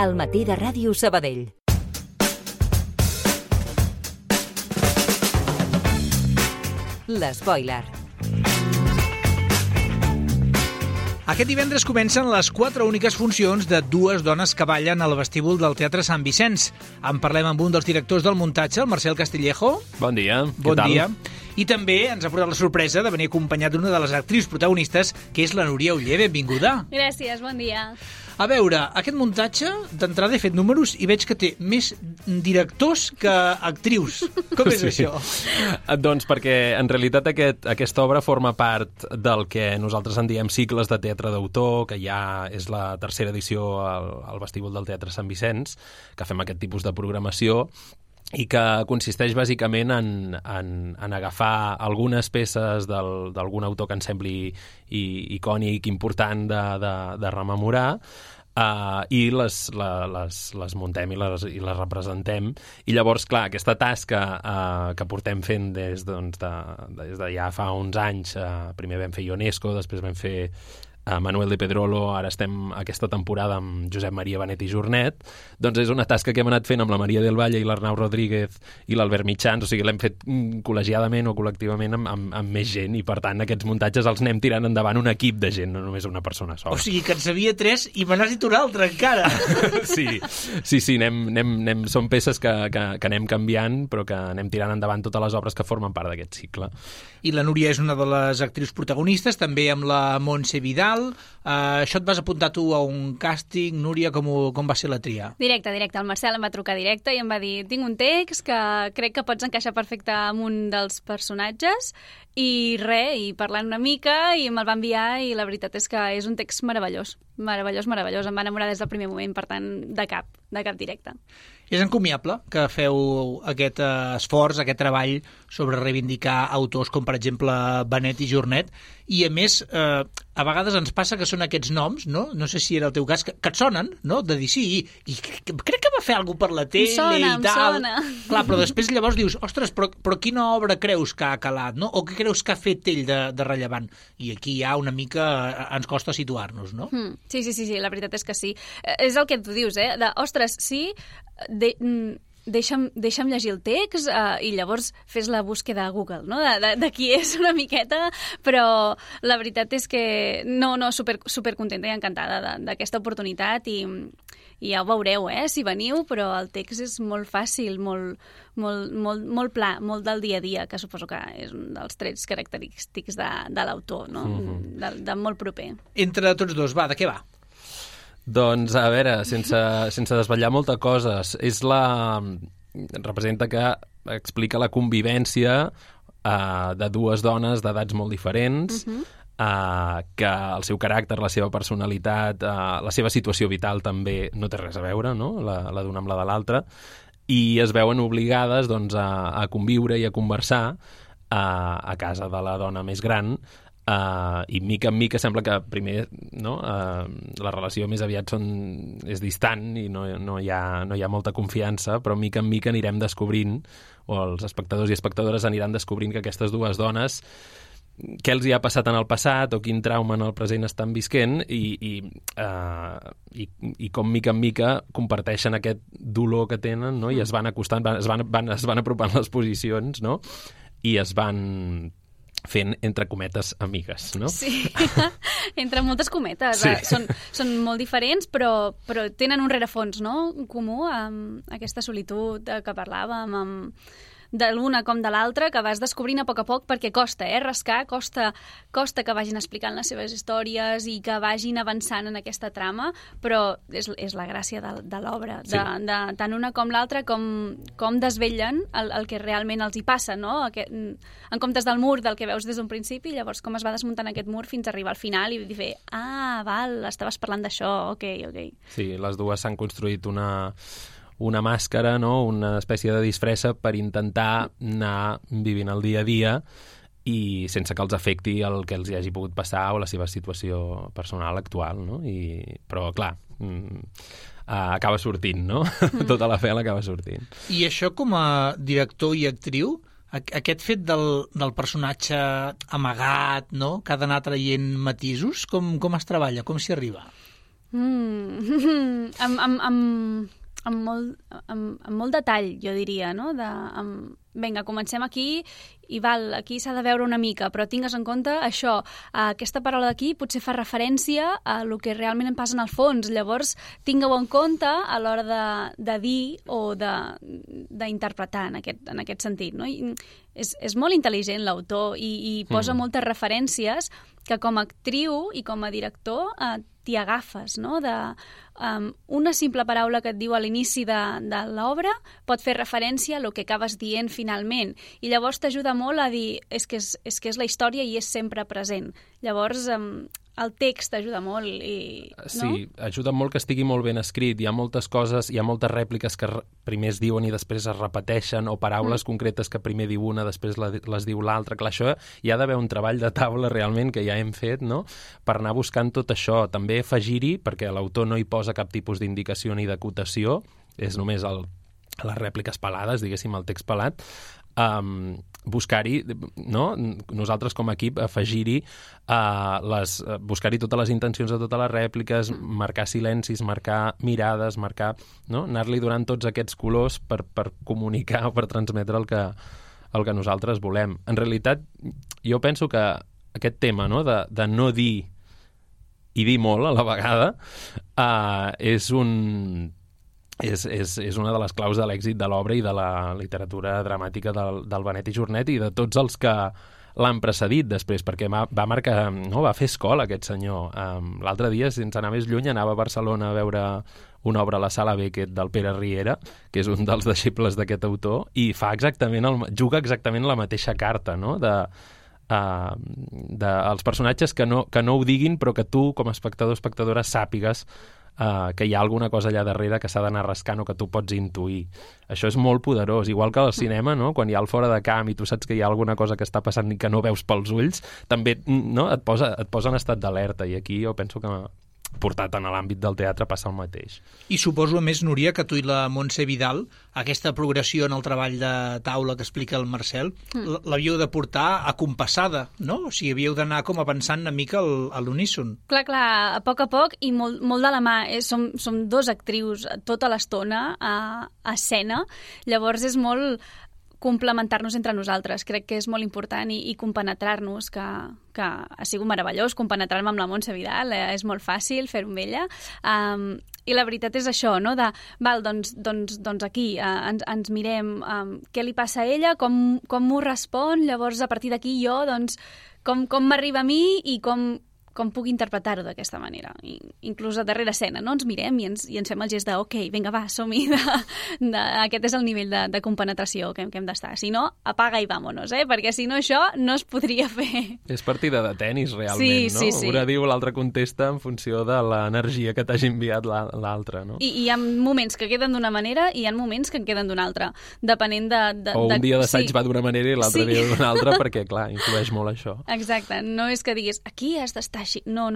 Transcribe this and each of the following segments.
Al matí de Ràdio Sabadell. L'Spoiler. Aquest divendres comencen les 4 úniques funcions de dues dones que ballen al vestíbul del Teatre Sant Vicenç. En parlem amb un dels directors del muntatge, el Marcel Castillejo. Bon dia. Bon dia. I també ens ha portat la sorpresa de venir acompanyat d'una de les actrius protagonistes, que és la Núria Oller. Benvinguda. Gràcies, bon dia. A veure, aquest muntatge, d'entrada he fet números i veig que té més directors que actrius. Com és això? Doncs perquè, en realitat, aquesta obra forma part del que nosaltres en diem cicles de teatre d'autor, que ja és la tercera edició al vestíbul del Teatre Sant Vicenç, que fem aquest tipus de programació, i que consisteix bàsicament en agafar algunes peces d'algun autor que ens sembli icònic, important de rememorar, i les muntem i les representem. I llavors, clar, aquesta tasca que portem fent des de ja fa uns anys, primer vam fer Ionesco, després vam fer Manuel de Pedrolo, ara estem aquesta temporada amb Josep Maria Benet i Jornet, doncs és una tasca que hem anat fent amb la Maria del Valle i l'Arnau Rodríguez i l'Albert Mitjans, o sigui, l'hem fet col·legiadament o col·lectivament amb més gent, i per tant aquests muntatges els anem tirant endavant un equip de gent, no només una persona sola. O sigui que en sabia 3 i me n'has dit un altre encara. Sí, són peces que anem canviant, però que anem tirant endavant totes les obres que formen part d'aquest cicle. I la Núria és una de les actrius protagonistes, també amb la Montse Vidal. Això et vas apuntar tu a un càsting, Núria, com va ser la tria? Directe. El Marcel em va trucar directe i em va dir: tinc un text que crec que pots encaixar perfecte amb un dels personatges, i parlant una mica, i me'l va enviar, i la veritat és que és un text meravellós. Em va enamorar des del primer moment, per tant, de cap directe. És encomiable que feu aquest esforç, aquest treball sobre reivindicar autors com, per exemple, Benet i Jornet, i a més, a vegades ens passa que són aquests noms, no sé si era el teu cas, que et sonen, no? De dir sí, i crec que va fer alguna cosa per la tele i tal. Em sona. Clar, però després llavors dius, ostres, però quina obra creus que ha calat, no? O què creus que ha fet ell de rellevant? I aquí ja una mica ens costa situar-nos, no? Sí, la veritat és que sí. És el que tu dius, ostres, sí, deixa'm llegir el text, i llavors fes la búsqueda a Google, no? de qui és una miqueta, però la veritat és que super contenta i encantada d'aquesta oportunitat, i ja ho veureu, si veniu, però el text és molt fàcil, molt pla, molt del dia a dia, que suposo que és un dels trets característics de l'autor, no? De molt proper. Entre tots dos, de què va? Doncs, a veure, sense desvetllar molta coses, representa que explica la convivència de dues dones d'edats molt diferents, que el seu caràcter, la seva personalitat, la seva situació vital també no té res a veure, no? La d'una amb la de l'altra, i es veuen obligades, doncs, a conviure i a conversar a casa de la dona més gran, i mica en mica sembla que primer la relació més aviat és distant i no hi ha molta confiança, però mica en mica anirem descobrint, o els espectadors i espectadores aniran descobrint que aquestes dues dones, què els hi ha passat en el passat o quin trauma en el present estan visquent, i com mica en mica comparteixen aquest dolor que tenen, no? I es van acostant, es van apropant les posicions, no? I es van fent, entre cometes, amigues, no? Sí, entre moltes cometes. Sí. Són molt diferents, però tenen un rerefons, no?, comú, amb aquesta solitud que parlàvem, de l'una com de l'altra, que vas descobrint a poc, perquè costa, rascar, costa que vagin explicant les seves històries i que vagin avançant en aquesta trama, però és la gràcia de l'obra, Sí. Tant una com l'altra, com desvetllen el que realment els hi passa, no? En comptes del mur del que veus des d'un principi, llavors com es va desmuntant aquest mur fins a arribar al final i dir, estaves parlant d'això, ok. Sí, les dues s'han construït una màscara, no? Una espècie de disfressa per intentar anar vivint el dia a dia i sense que els afecti el que els hi hagi pogut passar o la seva situació personal actual, no? Però, clar, acaba sortint, no? Tota la fel acaba sortint. I això, com a director i actriu, aquest fet del personatge amagat, no?, que ha d'anar traient matisos, com es treballa, com s'hi arriba? Amb molt detall, jo diria, no? Vinga, comencem aquí i aquí s'ha de veure una mica, però tingues en compte això, aquesta paraula d'aquí potser fa referència a el que realment em passa en el fons, llavors tingueu en compte a l'hora de dir o d'interpretar en aquest sentit, no? I és molt intel·ligent l'autor i posa moltes referències que com a actriu i com a director t'hi agafes, no? Una simple paraula que et diu a l'inici de l'obra pot fer referència a el que acabes dient finalment, i llavors t'ajuda molt a dir és que és la història i és sempre present. Llavors el text ajuda molt. No? Sí, ajuda molt que estigui molt ben escrit. Hi ha moltes coses, hi ha moltes rèpliques que primer es diuen i després es repeteixen, o paraules concretes que primer diu una, després les diu l'altra. Clar, això hi ha d'haver un treball de taula realment que ja hem fet, no?, per anar buscant tot això. També afegir-hi, perquè l'autor no hi posa cap tipus d'indicació ni d'acotació, és només les rèpliques pelades, diguéssim, el text pelat, buscar-hi, no? Nosaltres com a equip afegir-hi buscar-hi totes les intencions de totes les rèpliques, marcar silencis, marcar mirades, no? Anar-li donant tots aquests colors per comunicar o per transmetre el que nosaltres volem. En realitat, jo penso que aquest tema, no?, de no dir i dir molt a la vegada és una de les claus de l'èxit de l'obra i de la literatura dramàtica del Benet i Jornet i de tots els que l'han precedit després, perquè va marcar, no, va fer escola aquest senyor. L'altre dia, sense anar més lluny, anava a Barcelona a veure una obra a la Sala Beckett del Pere Riera, que és un dels deixebles d'aquest autor, i juga exactament la mateixa carta, no?, els personatges que no ho diguin, però que tu, com a espectador o espectadora, sàpigues que hi ha alguna cosa allà darrere que s'ha d'anar rascant o que tu pots intuir. Això és molt poderós. Igual que al cinema, no?, quan hi ha el fora de camp i tu saps que hi ha alguna cosa que està passant i que no veus pels ulls, també, no?, et posa en estat d'alerta, i aquí jo penso que portat en l'àmbit del teatre passa el mateix. I suposo, a més, Núria, que tu i la Montse Vidal, aquesta progressió en el treball de taula que explica el Marcel, l'havíeu de portar acompassada, no? O sigui, havíeu d'anar com a pensant una mica a l'uníson. Clar, a poc i molt de la mà. Som dos actrius tota l'estona a escena, llavors és molt complementar-nos entre nosaltres. Crec que és molt important i compenetrar-nos, que ha sigut meravellós compenetrar-me amb la Montse Vidal, és molt fàcil fer-ho amb ella, i la veritat és això, no?, doncs aquí ens mirem què li passa a ella, com m'ho respon, llavors a partir d'aquí jo, doncs, com m'arriba a mi i com puc interpretar-ho d'aquesta manera. Inclús a darrere escena, no?, ens mirem i ens fem el gest de ok, vinga, va, som-hi, aquest és el nivell de compenetració que hem d'estar. Si no, apaga i vámonos, perquè si no això no es podria fer. És partida de tennis, realment, no? Sí. Una diu, l'altra contesta en funció de l'energia que t'hagi enviat l'altra, no? I hi ha moments que queden d'una manera i hi ha moments que en queden d'una altra, depenent de... O un dia d'assaig va d'una manera i l'altre dia d'una altra, perquè, clar, influeix molt això. Exacte, no és que diguis aquí has d'estar així. No,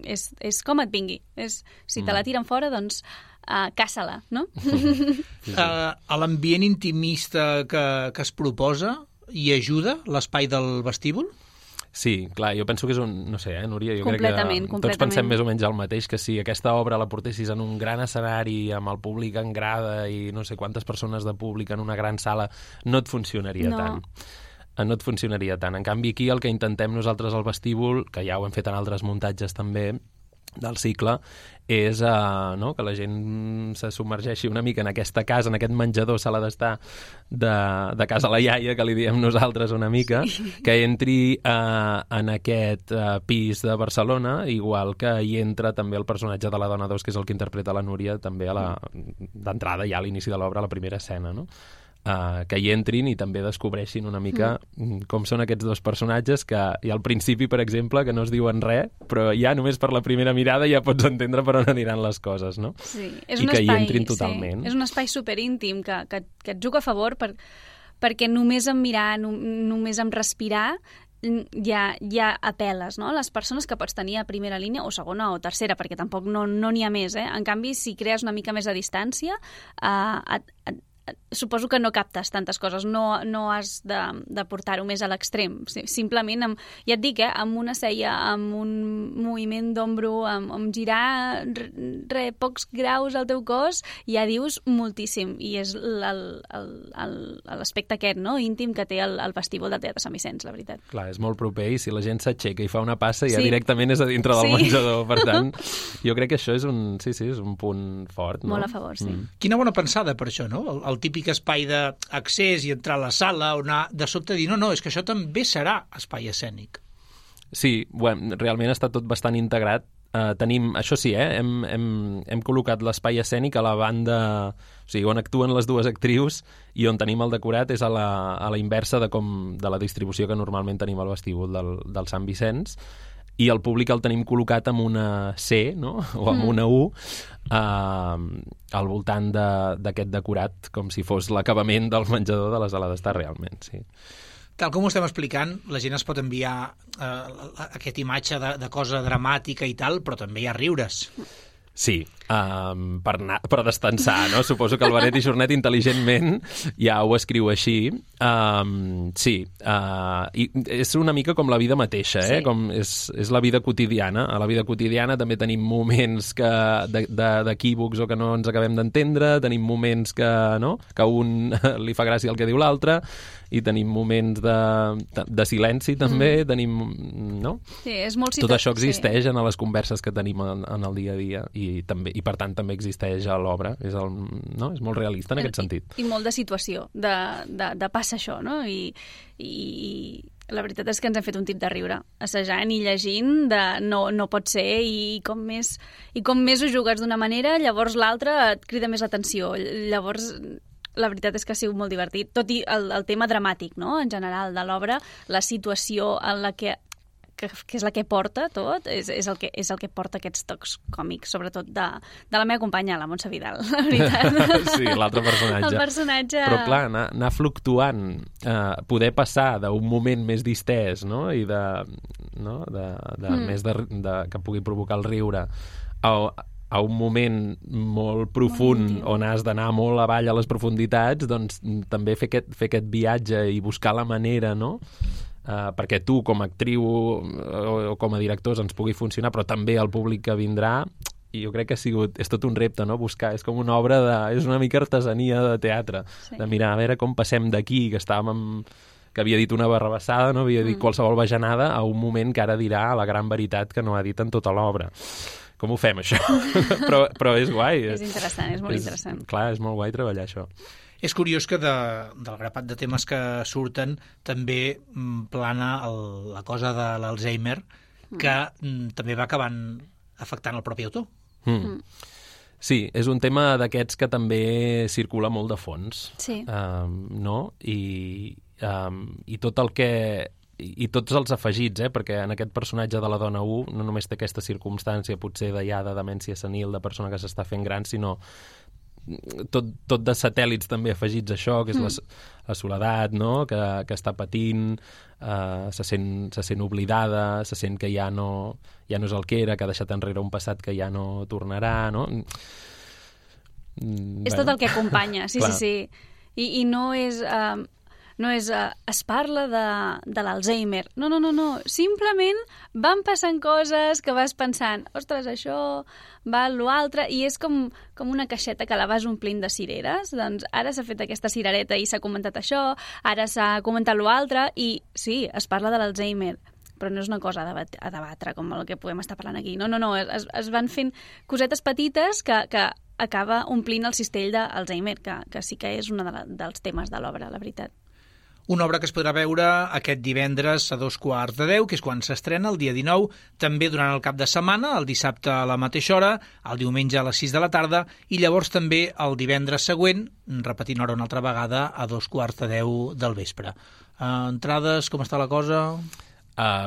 és com et vingui. Si te la tiren fora, doncs caça-la, no? A l'ambient intimista que es proposa hi ajuda l'espai del vestíbul? Sí, clar, jo penso que és no sé, Núria, jo crec que tots pensem més o menys el mateix, que si aquesta obra la portessis en un gran escenari, amb el públic en grada i no sé quantes persones de públic en una gran sala, no et funcionaria tant. No et funcionaria tant. En canvi, aquí el que intentem nosaltres al vestíbul, que ja ho hem fet en altres muntatges també del cicle, és que la gent se submergeixi una mica en aquesta casa, en aquest menjador, sala d'estar de casa la iaia, que li diem nosaltres una mica, que entri en aquest pis de Barcelona, igual que hi entra també el personatge de la Dona 2, que és el que interpreta la Núria, també d'entrada ja a l'inici de l'obra, a la primera escena, no?, que hi entrin i també descobreixin una mica com són aquests dos personatges que i al principi, per exemple, que no es diuen res, però ja només per la primera mirada ja pots entendre per on aniran les coses, no? Sí, és un espai, hi entrin totalment. Sí, és un espai superíntim que et juga a favor perquè només en mirar, només en respirar ja apel·les, no? Les persones que pots tenir a primera línia o segona o tercera, perquè tampoc no n'hi ha més, En canvi, si crees una mica més a distància, suposo que no captes tantes coses, no has de portar-ho més a l'extrem. Simplement, ja et dic, amb una cella, amb un moviment d'ombro, amb girar pocs graus al teu cos, ja dius moltíssim. I és l'aspecte aquest, no?, íntim que té el vestíbul del Teatre Sant Vicenç, la veritat. Clar, és molt proper, i si la gent s'aixeca i fa una passa, ja directament és a dintre del menjador. Per tant, jo crec que això és un punt fort, no? Molt a favor, sí. Quina bona pensada per això, no? El típic espai d'accés i entrar a la sala, on de sobte dir, no, és que això també serà espai escènic. Sí, bueno, realment està tot bastant integrat. Tenim, això sí, hem col·locat l'espai escènic a la banda, o sigui, on actuen les dues actrius, i on tenim el decorat és a la inversa de la distribució que normalment tenim al vestíbul del Sant Vicenç, i el públic el tenim col·locat amb una C, no?, o amb una U, al voltant d'aquest decorat, com si fos l'acabament del menjador de la sala d'estar, realment, sí. Tal com ho estem explicant, la gent es pot enviar aquesta imatge de cosa dramàtica i tal, però també hi ha riures. Sí, per destensar, no? Suposo que el Benet i Jornet intel·ligentment ja ho escriu així. Sí, i és una mica com la vida mateixa, com és la vida quotidiana. A la vida quotidiana també tenim moments d'equívocs o que no ens acabem d'entendre, tenim moments que un li fa gràcia el que diu l'altre, i tenim moments de silenci també, tenim, no? Sí, és molt tot això existeix en les converses que tenim en el dia a dia, i per tant també existeix a l'obra. És molt realista en aquest sentit. I molt de situació, de passa això, no? I la veritat és que ens hem fet un tip de riure, assajant i llegint, no pot ser, i com més ho jugues d'una manera, llavors l'altra et crida més l'atenció. Llavors, la veritat és que ha sigut molt divertit, tot i el tema dramàtic, no?, en general, de l'obra, la situació en la que és la que porta tot, és el que porta aquests tocs còmics, sobretot de la meva companya, la Montse Vidal, la veritat. Sí, l'altre personatge. El personatge... Però clar, anar fluctuant, poder passar d'un moment més distès, no?, i més que pugui provocar el riure, a un moment molt profund on has d'anar molt avall a les profunditats, doncs també fer aquest viatge i buscar la manera, no?, perquè tu com a actriu o com a directors ens pugui funcionar, però també el públic que vindrà, i jo crec que és tot un repte, no?, buscar, és com una obra és una mica artesania de teatre, de mirar a veure com passem d'aquí, que havia dit una barrabassada, no havia dit qualsevol bajanada, a un moment que ara dirà la gran veritat que no ha dit en tota l'obra. Com ho fem, això? però és guai. És interessant, és molt interessant. Clar, és molt guai treballar això. És curiós que del grapat de temes que surten també plana la cosa de l'Alzheimer, que també va acabant afectant el propi autor. Sí, és un tema d'aquests que també circula molt de fons. Sí. No? I tot el que... I tots els afegits, perquè en aquest personatge de la dona 1 no només té aquesta circumstància potser de demència senil, de persona que s'està fent gran, sinó tot de satèl·lits també afegits a això, que és la soledat, no?, que està patint, se sent oblidada, se sent que ja no és el que era, que ha deixat enrere un passat que ja no tornarà, no? És tot el que acompanya, sí. I no és... es parla de l'Alzheimer. No. Simplement van passant coses que vas pensant, ostres, això va l'altre, i és com una caixeta que la vas omplint de cireres. Doncs ara s'ha fet aquesta cirereta i s'ha comentat això, ara s'ha comentat l'altre, i sí, es parla de l'Alzheimer, però no és una cosa a debatre com el que podem estar parlant aquí. No. Es van fent cosetes petites que acaba omplint el cistell d'Alzheimer, que sí que és un dels temes de l'obra, la veritat. Una obra que es podrà veure aquest divendres a 9:15, que és quan s'estrena, el dia 19, també durant el cap de setmana, el dissabte a la mateixa hora, el diumenge a les 6 de la tarda, i llavors també el divendres següent, repetint hora una altra vegada, a 9:15 del vespre. Entrades, com està la cosa?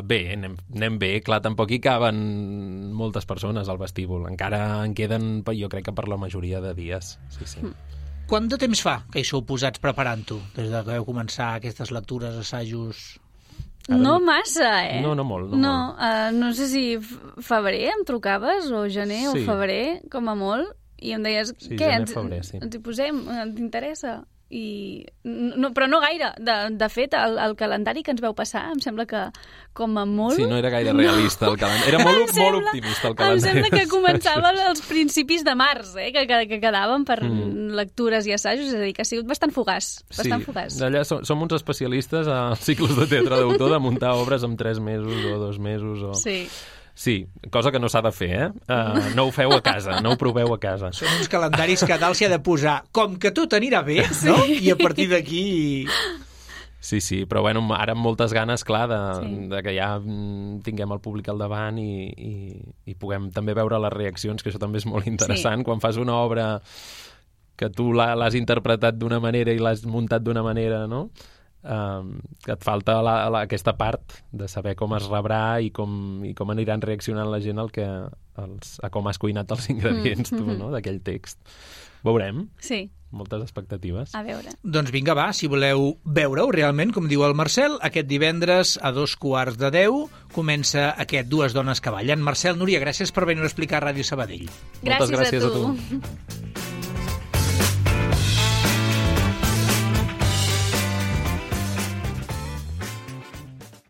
Bé, anem bé. Clar, tampoc hi caben moltes persones al vestíbul. Encara en queden, jo crec que per la majoria de dies. Sí. Quant de temps fa que hi sou posats preparant-ho? Des que vau començar aquestes lectures, assajos... No massa, No molt. No sé si febrer em trucaves, o gener o febrer, com a molt, i em deies, Sí, què, gener, febrer, sí. ens hi posem, t'interessa? Però no gaire. De fet, el calendari que ens veu passar em sembla que com a molt... Sí, no era gaire realista el calendari. Era molt optimista el calendari. Em sembla que començava als principis de març, que quedaven per lectures i assajos, és a dir, que ha sigut bastant fugaç. Bastant fugaç. D'allà som uns especialistes a cicles de teatre d'autor de muntar obres en 3 mesos o 2 mesos. Sí. Sí, cosa que no s'ha de fer, no ho feu a casa, no ho proveu a casa. Són uns calendaris que dalt s'hi ha de posar com que tot anirà bé, no? I a partir d'aquí... Sí, però bueno, ara amb moltes ganes, clar, de que ja tinguem el públic al davant i puguem també veure les reaccions, que això també és molt interessant. Quan fas una obra que tu l'has interpretat d'una manera i l'has muntat d'una manera, no?, que et falta aquesta part de saber com es rebrà i com aniran reaccionant la gent a com has cuinat els ingredients tu, no?, d'aquell text. Veurem. Sí. Moltes expectatives. A veure. Doncs vinga, va, si voleu veure-ho realment, com diu el Marcel, aquest divendres a 2:15 comença aquest Dues dones que ballen. Marcel, Núria, gràcies per venir a explicar a Ràdio Sabadell. Gràcies Moltes gràcies a a tu. tu.